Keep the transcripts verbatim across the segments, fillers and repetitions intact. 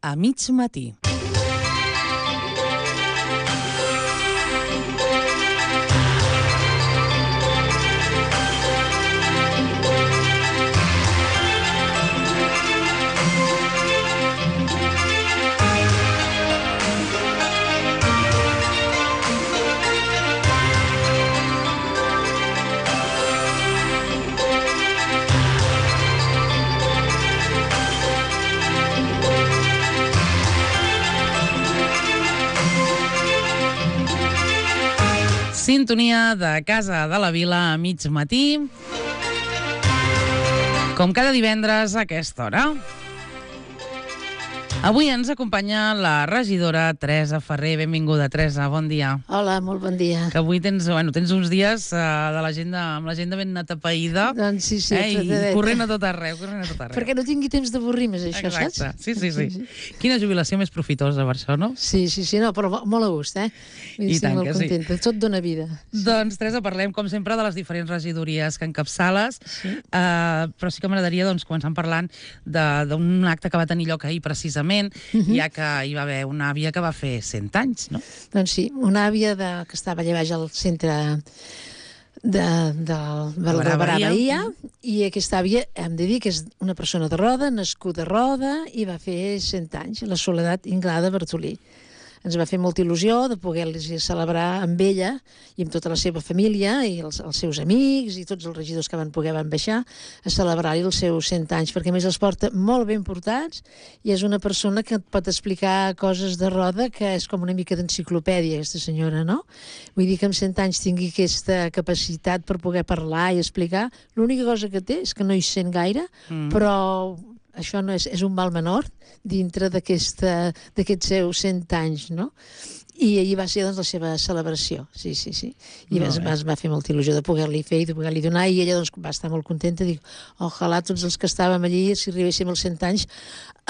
a mig matí. Sintonia de Casa de la Vila a mig matí, com cada divendres a aquesta hora. Avui ens acompanya la regidora Teresa Ferrer. Benvinguda, Teresa, bon dia. Hola, molt bon dia. Que avui tens, bueno, tens uns dies uh, de l'agenda, amb l'agenda ben atapeïda. Doncs sí, sí. Eh, I corrent a tot arreu, corrent a tot arreu. Perquè no tingui temps d'avorrir més, això, Exacte. saps? Sí, sí, sí, sí. Quina jubilació més profitosa per això, no? Sí, sí, sí, no, però molt a gust, eh? I Estic tant molt que sí. contenta. Tot dona vida. Doncs, Teresa, parlem, com sempre, de les diferents regidories que encapçales, Sí. uh, però sí que m'agradaria doncs, començar parlant d'un acte que va tenir lloc ahir, precisament, Mhm. ja que hi va haver una àvia que va fer cent anys, no? Doncs sí, una àvia de, que estava allà baix al centre de, de, de, de Barà-Bahia, i aquesta àvia, hem de dir que és una persona de Roda, nascuda a Roda, i va fer cent anys, la Soledat Inglada Bartolí. Ens va fer molta il·lusió de poder-les celebrar amb ella i amb tota la seva família i els, els seus amics i tots els regidors que van poder van baixar a celebrar-hi els seus cent anys, perquè a més els porta molt ben portats i és una persona que et pot explicar coses de Roda que és com una mica d'enciclopèdia, aquesta senyora, no? Vull dir que amb cent anys tingui aquesta capacitat per poder parlar i explicar. L'única cosa que té és que no hi sent gaire, mm. però això no és, és un mal menor dintre d'aquests seus cent anys, no? I ahir va ser, doncs, la seva celebració, sí, sí, sí. I es, es va fer molta il·lusió de poder-li fer i de poder-li donar, i ella, doncs, va estar molt contenta, dic, ojalà tots els que estàvem allí, si arribéssim als cent anys,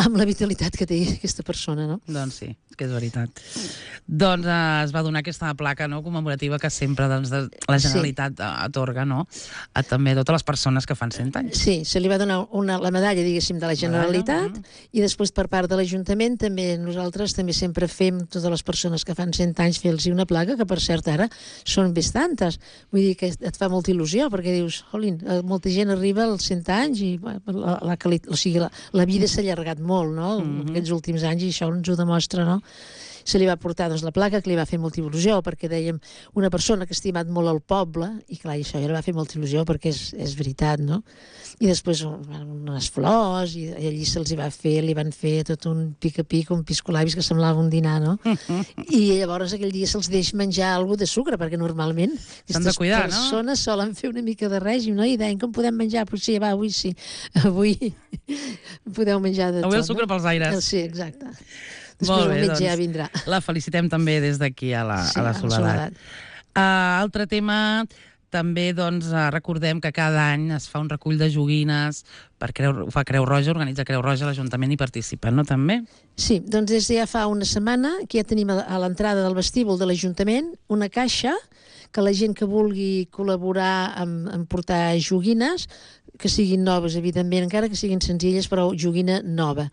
amb la vitalitat que té aquesta persona, no? Doncs sí, que és veritat. Doncs eh, es va donar aquesta placa, no?, commemorativa que sempre, doncs, de, la Generalitat sí. atorga, no?, a també totes les persones que fan cent anys. Sí, se li va donar una, la medalla, diguéssim, de la Generalitat, mm. i després per part de l'Ajuntament també nosaltres també sempre fem totes les persones que fan cent anys fer-los una placa, que per cert ara són bastantes. Vull dir que et fa molta il·lusió, perquè dius, jolín, molta gent arriba als cent anys i la, la, o sigui, la, la vida s'ha allargat molt, no?, mm-hmm. aquests últims anys, i això ens ho demostra, no? Se li va portar, doncs, la placa, que li va fer molta il·lusió, perquè dèiem una persona que ha estimat molt el poble, i clar, i això ja li va fer molta il·lusió, perquè és, és veritat, no? I després unes flors, i allí se'ls va fer, li van fer tot un pica-pic, un piscolabis que semblava un dinar, no? I llavors aquell dia se'ls deix menjar alguna de sucre, perquè normalment aquestes cuidar, persones no? solen fer una mica de règim, no? I deien, com podem menjar? Pues sí, va, avui sí. Avui podeu menjar de avui tot. Avui el sucre no? pels aires. Sí, exacte. Després Molt bé, el metge doncs, ja vindrà. La felicitem també des d'aquí a la, sí, a la Soledat. A la Soledat. Uh, altre tema, també doncs, uh, recordem que cada any es fa un recull de joguines, per Creu, ho fa Creu Roja, organitza Creu Roja, l'Ajuntament hi participa, no, també? Sí, doncs des de ja fa una setmana que ja tenim a l'entrada del vestíbul de l'Ajuntament una caixa que la gent que vulgui col·laborar en, en portar joguines, que siguin noves, evidentment, encara que siguin senzilles, però joguina nova.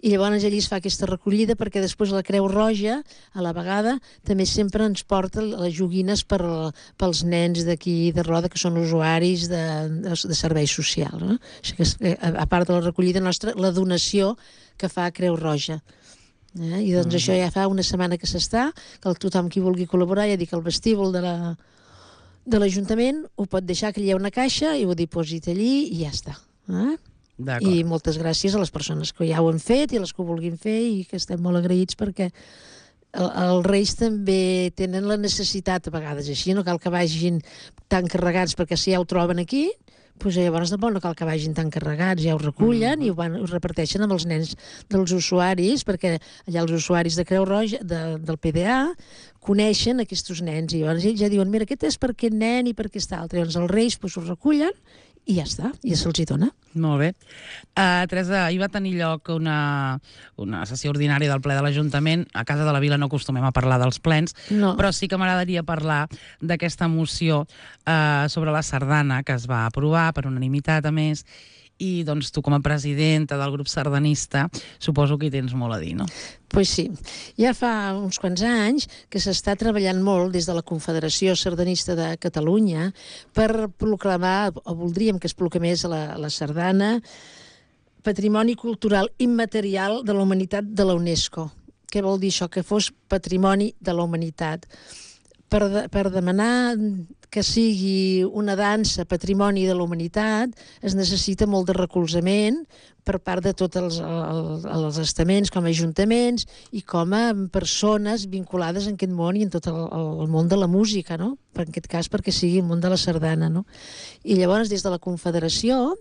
I llavors allí es fa aquesta recollida, perquè després la Creu Roja, a la vegada, també sempre ens porta les joguines per, pels nens d'aquí de Roda, que són usuaris de, de, de serveis socials. No? O sigui que, a part de la recollida nostra, la donació que fa Creu Roja. Eh? I doncs mm. això ja fa una setmana que s'està, que tothom qui vulgui col·laborar, ja dic, al vestíbul de la de l'Ajuntament ho pot deixar, que hi ha una caixa i ho diposita allí i ja està. Eh? I moltes gràcies a les persones que ja ho han fet i a les que ho vulguin fer, i que estem molt agraïts, perquè el, els Reis també tenen la necessitat a vegades així, no cal que vagin tan carregats, perquè si ja ho troben aquí, doncs llavors no cal que vagin tan carregats, ja ho recullen mm-hmm. i ho, van, ho reparteixen amb els nens dels usuaris, perquè allà els usuaris de Creu Roja, de, del P D A, coneixen aquests nens, i llavors ells ja diuen, mira, aquest és per aquest nen i per aquest altre. Llavors els Reis doncs, ho recullen i ja està, i ja se'ls hi dona. Molt bé. Uh, Teresa, ahir va tenir lloc una, una sessió ordinària del ple de l'Ajuntament. A Casa de la Vila no acostumem a parlar dels plens, no. però sí que m'agradaria parlar d'aquesta moció uh, sobre la sardana que es va aprovar per unanimitat, a més, i doncs tu com a presidenta del grup sardanista suposo que hi tens molt a dir, no? Pues sí, ja fa uns quants anys que s'està treballant molt des de la Confederació Sardanista de Catalunya per proclamar, o voldríem que es proclamés la, la sardana, Patrimoni Cultural Immaterial de la Humanitat de la UNESCO. Què vol dir això? Que fos patrimoni de la humanitat. Per, de, per demanar que sigui una dansa patrimoni de la humanitat es necessita molt de recolzament per part de tots els, els, els estaments com a ajuntaments i com a persones vinculades en aquest món i en tot el, el món de la música, no? Per en aquest cas perquè sigui el món de la sardana, no? I llavors des de la Confederació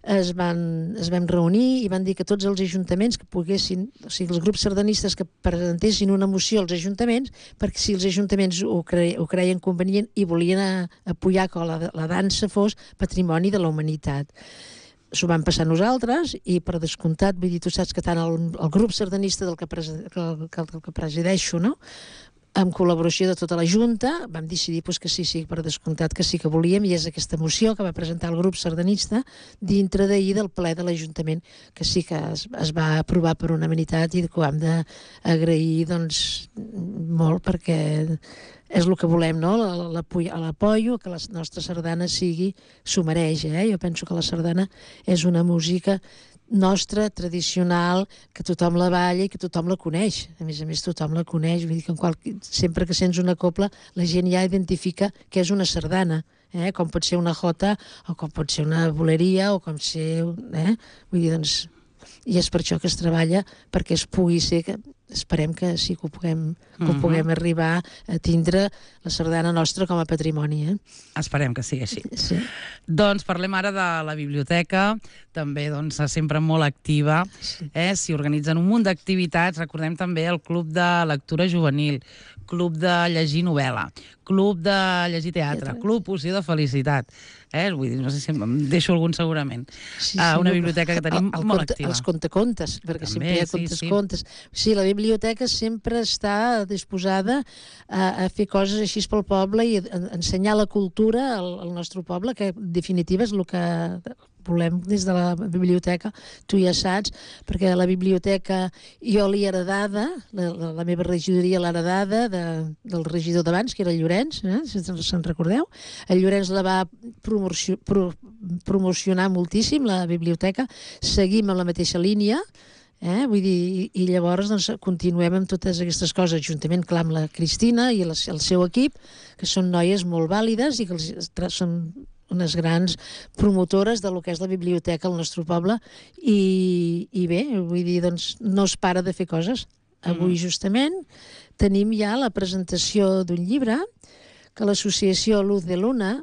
es van, es vam reunir i van dir que tots els ajuntaments que poguessin, o sigui, els grups sardanistes que presentessin una moció als ajuntaments, perquè si els ajuntaments ho, cre, ho creien convenient i volien a, apoyar que la, la dansa fos patrimoni de la humanitat. S'ho van passar nosaltres i, per descomptat, vull dir, tu saps que tant el, el grup sardanista del que, pres, que, que, que presideixo, no?, amb col·laboració de tota la Junta, vam decidir pues, que sí, sí, per descomptat que sí que volíem, i és aquesta moció que va presentar el grup sardanista dintre d'ahir del ple de l'Ajuntament, que sí que es, es va aprovar per unanimitat i que ho hem d'agrair doncs, molt, perquè és el que volem, no? L'apoyo, que la nostra sardana sigui, s'ho mereix, eh? Jo penso que la sardana és una música nostra, tradicional, que tothom la balla i que tothom la coneix. A més a més, tothom la coneix. Vull dir que en qual... sempre que sents una copla, la gent ja identifica que és una sardana, eh? Com pot ser una jota, o com pot ser una boleria, o com ser... Eh? Vull dir, doncs... I és per això que es treballa, perquè es pugui ser... Que... Esperem que sí que ho puguem, que ho puguem uh-huh. arribar a tindre la sardana nostra com a patrimoni. Eh? Esperem que sigui així. Sí. Doncs parlem ara de la biblioteca, també doncs, sempre molt activa. Sí. Eh? S'hi organitzen un munt d'activitats. Recordem també el Club de Lectura Juvenil, Club de Llegir Novel·la, Club de Llegir Teatre, Teatre. Club Poció de Felicitat. Eh? Vull dir, no sé si em deixo algun segurament. Sí, sí, uh, una biblioteca que tenim el, el molt conte, activa. Els contacontes, perquè també, sempre hi ha sí, contes-contes. Sí. sí, la biblioteca sempre està disposada a, a fer coses així pel poble i a, a ensenyar la cultura al, al nostre poble, que en definitiva és el que volem des de la biblioteca, tu ja saps, perquè la biblioteca jo l'he heredada, la, la, la meva regidoria l'ha heredada de, del regidor d'abans, que era el Llorenç, eh? si se'n recordeu. El Llorenç la va promocio, pro, promocionar moltíssim, la biblioteca, seguim amb la mateixa línia, Eh? Vull dir, i, i llavors doncs, continuem amb totes aquestes coses, juntament clar, amb la Cristina i el, el seu equip, que són noies molt vàlides i que els, són unes grans promotores de lo que és la biblioteca al nostre poble i, i bé, vull dir, doncs no es para de fer coses. Avui justament tenim ja la presentació d'un llibre que l'associació Luz de Luna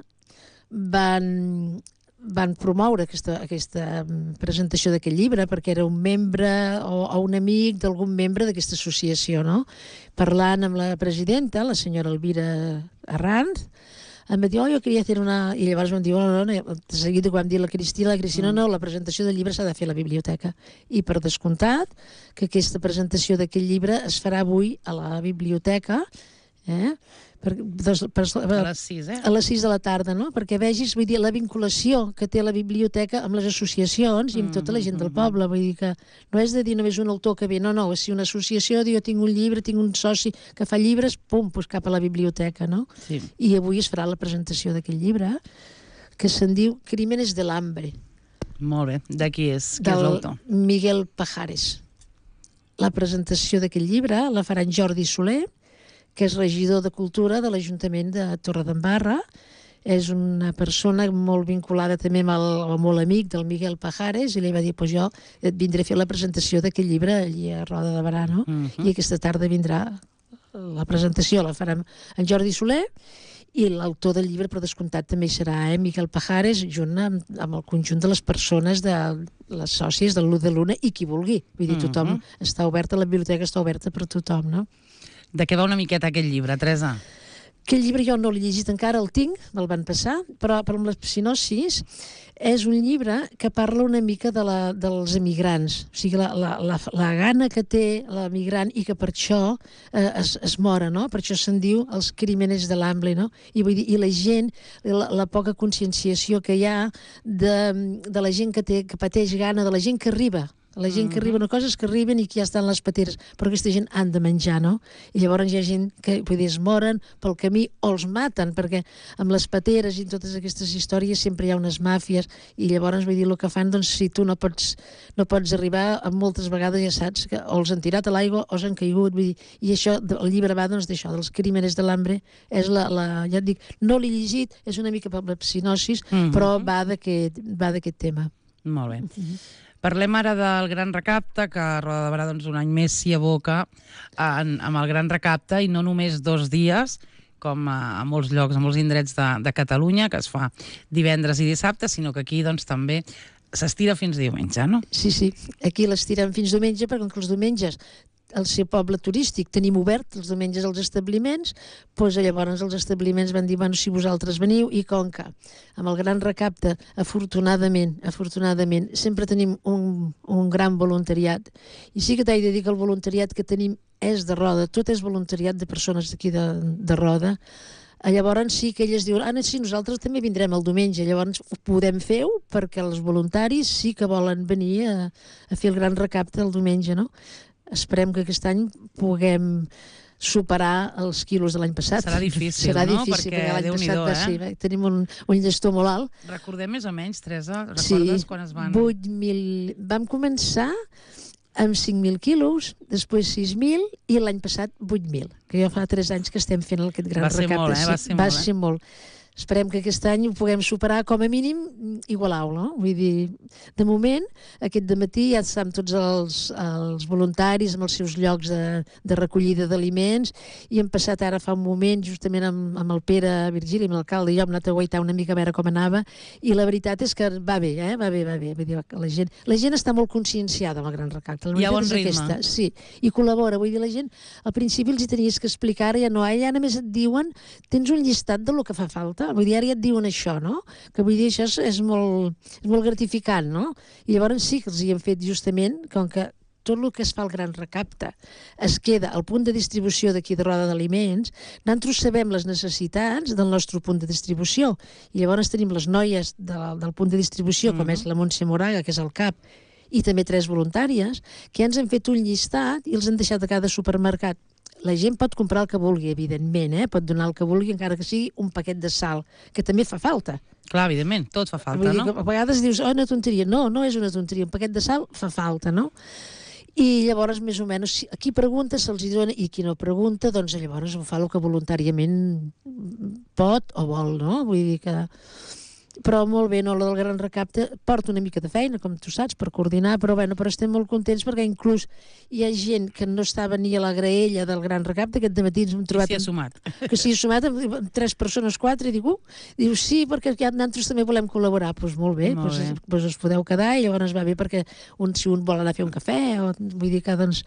van... van promoure aquesta, aquesta presentació d'aquest llibre perquè era un membre o, o un amic d'algun membre d'aquesta associació, no? Parlant amb la presidenta, la senyora Elvira Arranz, em va dir, oh, jo queria fer una... I llavors vam dir, oh, no, no, de seguida quan vam dir la Cristina, la Cristina, no, la presentació del llibre s'ha de fer a la biblioteca. I per descomptat que aquesta presentació d'aquest llibre es farà avui a la biblioteca, eh? Per, des, per, a les sis, eh? A les sis de la tarda, no? Perquè vegis, vull dir, la vinculació que té la biblioteca amb les associacions i amb tota la gent del poble. Vull dir que no és de dir només un autor que ve, no, no, és si una associació, jo tinc un llibre, tinc un soci que fa llibres, pum, doncs cap a la biblioteca, no? Sí. I avui es farà la presentació d'aquest llibre, que se'n diu Crímenes de l'Hambre. Molt bé. De qui és? Qui és l'autor? Miguel Pajares. La presentació d'aquest llibre la farà en Jordi Soler, que és regidor de Cultura de l'Ajuntament de Torredembarra. És una persona molt vinculada també amb el, amb molt amic del Miguel Pajares, i li va dir, pues jo et vindré a fer la presentació d'aquest llibre allí a Roda de Barà, no? Uh-huh. I aquesta tarda vindrà la presentació, la farem en Jordi Soler, i l'autor del llibre, per descomptat, també hi serà, eh? Miguel Pajares, junt amb, amb el conjunt de les persones, de les sòcies del Luz de Luna, i qui vulgui. Vull dir, tothom uh-huh. està oberta, la biblioteca està oberta per tothom, no? De què va una miqueta aquest llibre, Teresa? Aquell llibre jo no l'he llegit encara, el tinc, me'l van passar, però per amb la psinosis és un llibre que parla una mica de la, dels emigrants, o sigui, la, la, la, la gana que té l'emigrant i que per això eh, es, es mora, no? Per això se'n diu els crímenes de l'hambre, no? I, vull dir, i la gent, la, la poca conscienciació que hi ha de, de la gent que, té, que pateix gana, de la gent que arriba, la gent que arriba, no, coses que arriben i que ja estan les pateres, però aquesta gent han de menjar, no? I llavors hi ha gent que, vull dir, es moren pel camí o els maten, perquè amb les pateres i totes aquestes històries sempre hi ha unes màfies, i llavors, vull dir, el que fan, doncs, si tu no pots, no pots arribar, moltes vegades ja saps que o els han tirat a l'aigua o s'han caigut, vull dir, i això, el llibre va, doncs, d'això, dels crímenes de l'hambre, és la, la, ja et dic, no l'he llegit, és una mica per la psinosis, mm-hmm. però va d'aquest va d'aquest tema. Molt bé. Mm-hmm. Parlem ara del Gran Recapte, que a Roda de Berà doncs, un any més s'hi aboca en, amb el Gran Recapte, i no només dos dies, com a, a molts llocs, a molts indrets de, de Catalunya, que es fa divendres i dissabte, sinó que aquí doncs, també s'estira fins diumenge, no? Sí, sí, aquí l'estirem fins diumenge, perquè com que els diumenges al ser poble turístic tenim obert els diumenges els establiments, doncs llavors els establiments van dir, bueno, si vosaltres veniu, i com que amb el Gran Recapte, afortunadament, afortunadament, sempre tenim un, un gran voluntariat, i sí que t'he de dir que el voluntariat que tenim és de Roda, tot és voluntariat de persones d'aquí de, de Roda. Llavors sí que elles diuen, ah, sí, nosaltres també vindrem el diumenge, llavors podem fer-ho perquè els voluntaris sí que volen venir a, a fer el Gran Recapte el diumenge, no? Esperem que aquest any puguem superar els quilos de l'any passat. Serà difícil, Serà no? difícil, perquè, perquè l'any passat eh? sí, tenim un, un llestó molt alt. Recordem més o menys, Teresa, recordes sí, quan es van... vuit mil... Vam començar amb cinc mil quilos, després sis mil i l'any passat vuit mil, que ja fa tres anys que estem fent aquest Gran Va ser Recapte. molt, eh? Va ser Va molt, ser eh? molt. Esperem que aquest any ho puguem superar, com a mínim igualar-ho, no? Vull dir, de moment, aquest dematí ja estan tots els, els voluntaris amb els seus llocs de, de recollida d'aliments, i hem passat ara fa un moment, justament amb, amb el Pere Virgili, amb l'alcalde, i jo hem anat a guaitar una mica a veure com anava, i la veritat és que va bé, eh? Va bé, va bé. Vull dir, la gent, la gent està molt conscienciada amb el Gran Recapte. Hi ha bon ritme. Aquesta, sí, i col·labora. Vull dir, la gent, al principi els hi tenies que explicar, ja no, ja només et diuen, tens un llistat de lo que fa falta. Vull dir, ara ja et diuen això, no? Que vull dir, això és, és, molt, és molt gratificant, no? I llavors sí que els hi hem fet justament, com que tot el que es fa al Gran Recapte es queda al punt de distribució d'aquí de Roda d'Aliments, nosaltres sabem les necessitats del nostre punt de distribució, i llavors tenim les noies de, del punt de distribució, mm-hmm. com és la Montse Moraga, que és el cap, i també tres voluntàries, que ja ens han fet un llistat i els han deixat a cada supermercat. La gent pot comprar el que vulgui, evidentment, eh? Pot donar el que vulgui, encara que sigui un paquet de sal, que també fa falta. Clar, evidentment, tot fa falta, Vull dir, no? A vegades dius, oh, una tonteria. No, no és una tonteria, un paquet de sal fa falta, no? I llavors, més o menys, qui pregunta se'ls dona, i qui no pregunta, doncs llavors ho fa el que voluntàriament pot o vol, no? Vull dir que... Però molt bé, no, la del Gran Recapte porta una mica de feina, com tu saps, per coordinar, però bueno, però estem molt contents perquè inclús hi ha gent que no estava ni a la graella del Gran Recapte, aquest dematí ens hem trobat... Que s'hi ha sumat. Que s'hi ha sumat amb tres persones, quatre, i dic, uh, diu, sí, perquè ja nosaltres també volem col·laborar. Doncs pues molt bé, molt pues, bé. Pues us podeu quedar, i llavors va bé perquè un, si un vol anar a fer un cafè, o vull dir que, doncs,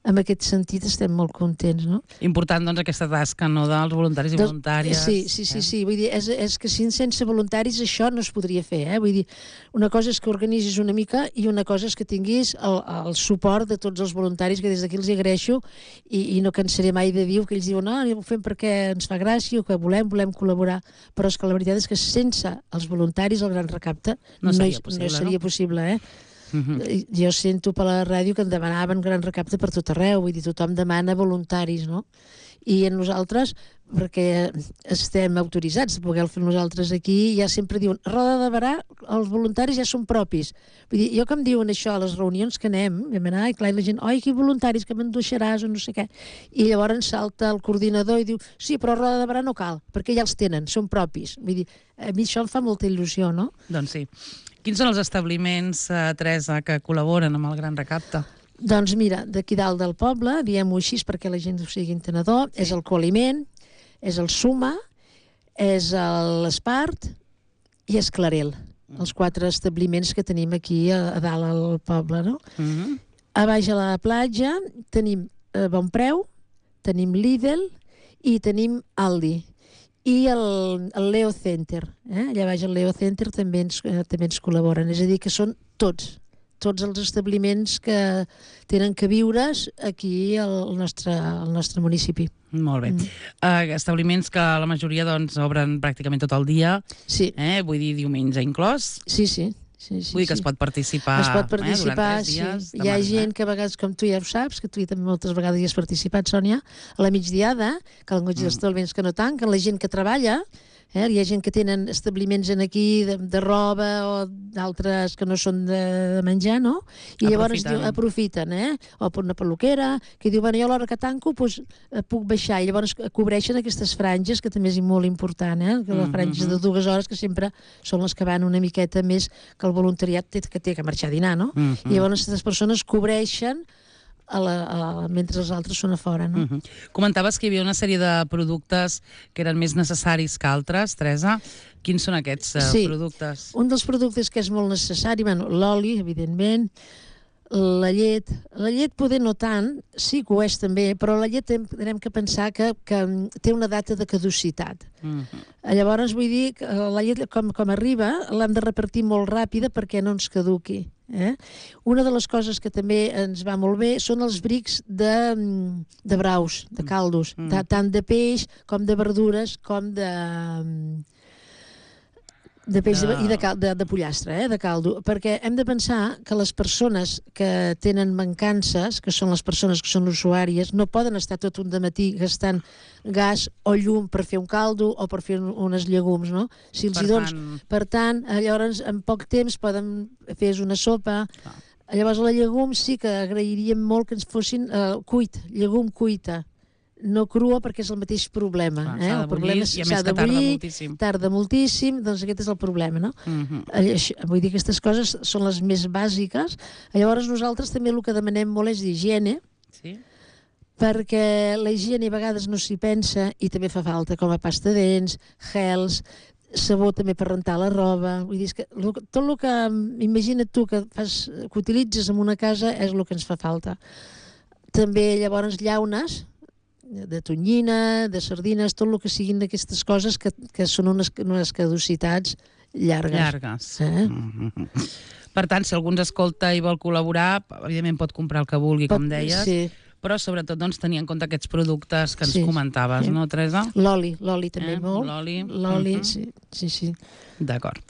en aquest sentit estem molt contents, no? Important, doncs, aquesta tasca, no?, dels voluntaris i Del, voluntàries. Sí, sí, sí, eh? sí. Vull dir, és, és que sense voluntaris això no es podria fer, eh? Vull dir, una cosa és que organitzis una mica i una cosa és que tinguis el, el suport de tots els voluntaris, que des d'aquí els agraeixo, i, i no cansaré mai de dir que ells diuen, no, ho fem perquè ens fa gràcia, o que volem, volem col·laborar, però és que la veritat és que sense els voluntaris el Gran Recapte no seria no, possible, no seria no? possible, eh? Uh-huh. Jo sento per la ràdio que en demanaven Gran Recapte per tot arreu, vull dir, tothom demana voluntaris, no? I en nosaltres, perquè estem autoritzats a poder fer nosaltres aquí, ja sempre diuen, a Roda de Berà els voluntaris ja són propis. Vull dir, jo que em diuen això a les reunions que anem, vam anar, i clar, i la gent, oi, que voluntaris, que me'n deixaràs, o no sé què. I llavors salta el coordinador i diu, sí, però a Roda de Berà no cal, perquè ja els tenen, són propis. Vull dir, a mi això em fa molta il·lusió, no? Doncs sí. Quins són els establiments, eh, Teresa, que col·laboren amb el Gran Recapte? Doncs mira, d'aquí dalt del poble, diem-ho així perquè la gent ho sigui entenedor, sí. És el Coaliment, és el Suma, és l'Espart i és Clarel, mm. els quatre establiments que tenim aquí a, a dalt al poble, no? Mm-hmm. A baix a la platja tenim eh, Bonpreu, tenim Lidl i tenim Aldi. i el, el Leo Center. Eh? Allà baix el Leo Center també ens, eh, també ens col·laboren. És a dir, que són tots, tots els establiments que tenen que viure's aquí al nostre, al nostre municipi. Molt bé. Mm. Uh, establiments que la majoria doncs, obren pràcticament tot el dia. Sí. Eh? Vull dir, diumenge inclòs. Sí, sí. Sí, sí, Vull dir que sí. es pot participar, es pot participar eh, durant tres dies. Sí. Hi ha gent que a vegades, com tu ja ho saps, que tu també moltes vegades hi has participat, Sònia, a la migdiada, que el goig dels establiments que no tanquen, la gent que treballa, eh, hi ha gent que tenen establiments en aquí de, de roba o d'altres que no són de, de menjar, no? I llavors diu, aprofiten, eh? O per una peluquera, que diu, bueno, jo a l'hora que tanco pues, puc baixar, i llavors cobreixen aquestes franges, que també és molt important, eh? Que les franges de dues hores, que sempre són les que van una miqueta més que el voluntariat té, que té que marxar a dinar, no? Uh -huh. I llavors aquestes persones cobreixen a la, a, mentre els altres són a fora, no? Uh -huh. Comentaves que hi havia una sèrie de productes que eren més necessaris que altres, Teresa. Quins són aquests uh, sí. productes? Un dels productes que és molt necessari, bueno, l'oli, evidentment, la llet. La llet poder no tant, sí que ho és també, però la llet hem que pensar que, que té una data de caducitat. Uh -huh. Llavors, vull dir, que la llet, com, com arriba, l'hem de repartir molt ràpida perquè no ens caduqui. Eh? Una de les coses que també ens va molt bé són els brics de, de braus, de caldos, mm. de, tant de peix com de verdures com de... de peix de... i de, cal, de, de pollastre, eh? De caldo, perquè hem de pensar que les persones que tenen mancances, que són les persones que són usuàries, no poden estar tot un dematí gastant gas o llum per fer un caldo o per fer unes llegums, no? Si els per, hi dones, tant... per tant, llavors en poc temps poden fer una sopa. Ah. Llavors la llegum sí que agrairíem molt que ens fossin uh, cuit, llegum cuita, no crua, perquè és el mateix problema. Ah, eh? S'ha de bullir, i a més que tarda moltíssim. Tarda moltíssim, doncs aquest és el problema, no? Uh -huh. Vull dir, aquestes coses són les més bàsiques. Llavors nosaltres també el que demanem molt és d'higiene, sí? Perquè la higiene a vegades no s'hi pensa i també fa falta, com a pasta de dents, gels, sabó també per rentar la roba. Vull dir, que tot el que, imagina't tu, que, fas, que utilitzes en una casa és el que ens fa falta. També llavors llaunes, de tonyina, de sardines, tot el que siguin d'aquestes coses que, que són unes, unes caducitats llargues. Llargues. Eh? Mm -hmm. Per tant, si algú ens escolta i vol col·laborar, evidentment pot comprar el que vulgui, pot, com deies, sí. Però sobretot doncs, tenir en compte aquests productes que ens sí, comentaves, sí. No, Teresa? L'oli, l'oli també eh? molt. L'oli. L'oli, uh -huh. sí, sí, sí. D'acord.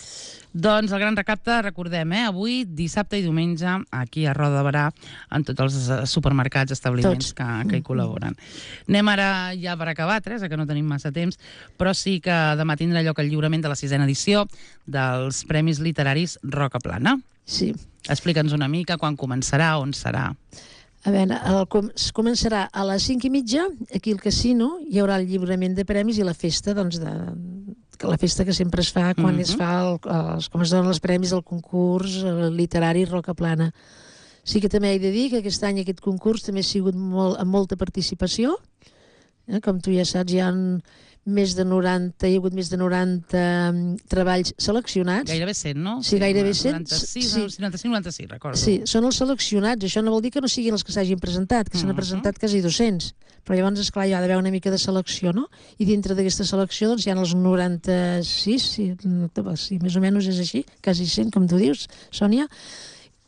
Doncs el gran recapte, recordem, eh? Avui, dissabte i diumenge, aquí a Roda de Berà, en tots els supermercats, establiments que, que hi col·laboren. Anem ara ja per acabar, Teresa, que no tenim massa temps, però sí que demà tindrà lloc el lliurament de la sisena edició dels Premis Literaris Roca Plana. Sí. Explica'ns una mica quan començarà, on serà. A veure, el, es començarà a les cinc i mitja, aquí al casino, hi haurà el lliurament de premis i la festa, doncs, de, la festa que sempre es fa quan uh -huh. es fa el, els, com es donen els premis del concurs literari Roca Plana. Sí que també he de dir que aquest any aquest concurs també ha sigut molt, amb molta participació, eh? Com tu ja saps, hi ha més de noranta, hi ha hagut més de noranta treballs seleccionats. Gairebé cent, no? Sí, gairebé cent. noranta-sis, sí. noranta-cinc, noranta-sis, recordo. Sí, són els seleccionats. Això no vol dir que no siguin els que s'hagin presentat, que uh -huh. s'han presentat quasi dos-cents. Però llavors, esclar, hi ha d'haver una mica de selecció, no? I dintre d'aquesta selecció, doncs, hi ha els noranta-sis, sí, sí, més o menys és així, quasi cent, com tu dius, Sònia.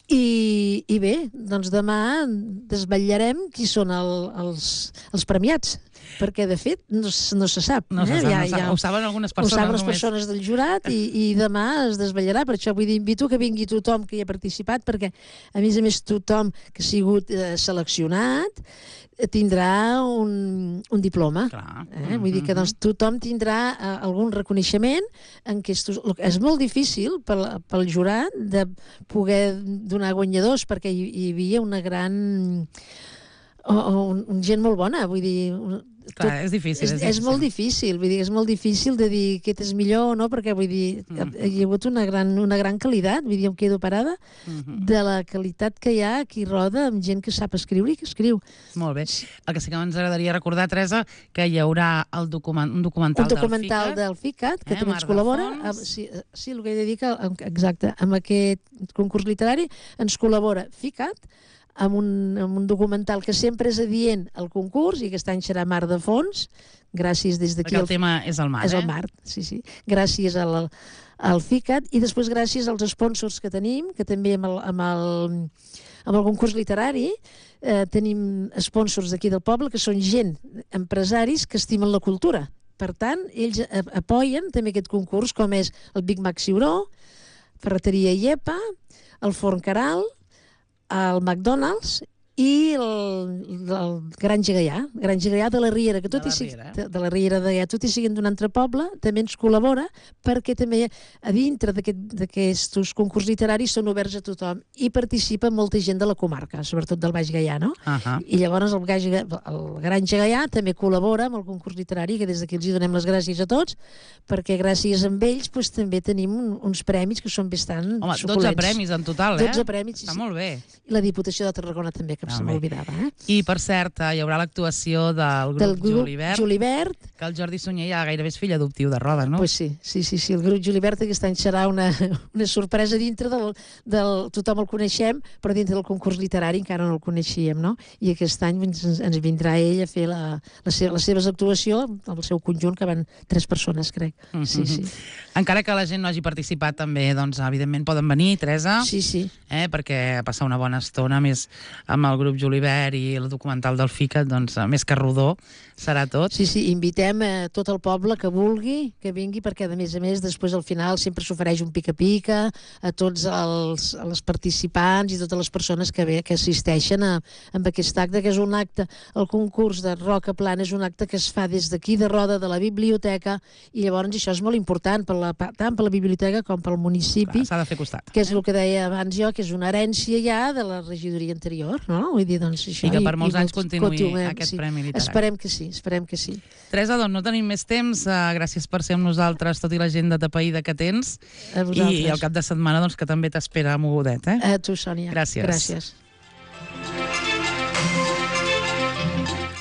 I, i bé, doncs demà desvetllarem qui són el, els, els premiats, perquè de fet no, no se sap. No se eh? sap, ja, no sap. ja, Ho saben algunes persones. Ho saben les persones del jurat i, i demà es desvetllarà. Per això vull dir, invito que vingui tothom que hi ha participat, perquè a més a més tothom que ha sigut eh, seleccionat tindrà un, un diploma. Clar. Eh? Vull dir que doncs, tothom tindrà uh, algun reconeixement en què és, és molt difícil pel, pel jurat de poder donar guanyadors, perquè hi, hi havia una gran... o, o un, gent molt bona, vull dir... Clar, tot, és difícil. És, és, és molt difícil, vull dir, és molt difícil de dir aquest és millor o no, perquè vull dir, mm. hi ha hagut una gran, una gran qualitat, vull dir, em quedo parada mm-hmm. de la qualitat que hi ha aquí Roda, amb gent que sap escriure i que escriu. Molt bé. El que sí que ens agradaria recordar, Teresa, que hi haurà el document, un documental, un documental del FICAT, que eh, també ens col·labora. Amb, sí, sí, el que he de dir que, exacte, amb aquest concurs literari ens col·labora FICAT, amb un, amb un documental que sempre és adient al concurs, i aquest any serà Mar de Fons, gràcies des d'aquí... Perquè el tema és el mar, és eh? el mar, sí, sí. Gràcies al, al FICAT, i després gràcies als sponsors que tenim, que també amb el, amb el, amb el concurs literari eh, tenim sponsors d'aquí del poble, que són gent, empresaris, que estimen la cultura. Per tant, ells apoyen també aquest concurs, com és el Big Mac Ciuró, Ferreteria Iepa, el Forn Caral, el McDonald's i el, el Granja Gaià, Granja Gaià de la Riera, que tot de, la i sigui, Riera, eh? de la Riera de Gaià, tot i siguin d'un altre poble, també ens col·labora, perquè també a dintre d'aquests aquest, concurs literaris són oberts a tothom i participa molta gent de la comarca, sobretot del Baix Gaià, no? Uh -huh. I llavors el, Baix, el Granja Gaià també col·labora amb el concurs literari, que des d'aquí els hi donem les gràcies a tots, perquè gràcies a ells pues, també tenim un, uns premis que són bastant Home, suculents. dotze premis en total, eh? dotze premis, Està molt bé. I la Diputació de Tarragona també, que se m'oblidava. Eh? I, per cert, hi haurà l'actuació del grup, del grup Julivert, Julivert, que el Jordi Sunyer ja gairebé és fill adoptiu de Roda, no? Pues sí, sí, sí, sí, el grup Julivert aquest any serà una, una sorpresa dintre del, del... Tothom el coneixem, però dintre del concurs literari encara no el coneixíem, no? I aquest any ens, ens vindrà ell a fer la, la seva, les seves actuacions amb el seu conjunt, que van tres persones, crec. Mm-hmm. Sí, sí. Encara que la gent no hagi participat també, doncs, evidentment poden venir, Teresa, sí, sí. Eh, perquè passar una bona estona més amb el grup Julivert i el documental del FICAT, doncs, més que rodó, serà tot. Sí, sí, invitem a tot el poble que vulgui, que vingui, perquè a més a més després al final sempre s'ofereix un pica-pica a tots els, els participants i totes les persones que, ve, que assisteixen a, a aquest acte, que és un acte, el concurs de Roca Plana és un acte que es fa des d'aquí de Roda, de la biblioteca, i llavors això és molt important per la, tant per la biblioteca com pel municipi. S'ha de fer costat. Que és el que deia abans jo, que és una herència ja de la regidoria anterior, no? Vull dir, doncs això... I que per molts i, anys continuï continuem, aquest sí. premi literari. Esperem que sí, esperem que sí. Teresa, doncs no tenim més temps. Uh, gràcies per ser amb nosaltres, tot i l'agenda tapaïda que tens. A vosaltres. I el cap de setmana, doncs, que també t'espera mogudet, eh? A tu, Sònia. Gràcies. Gràcies.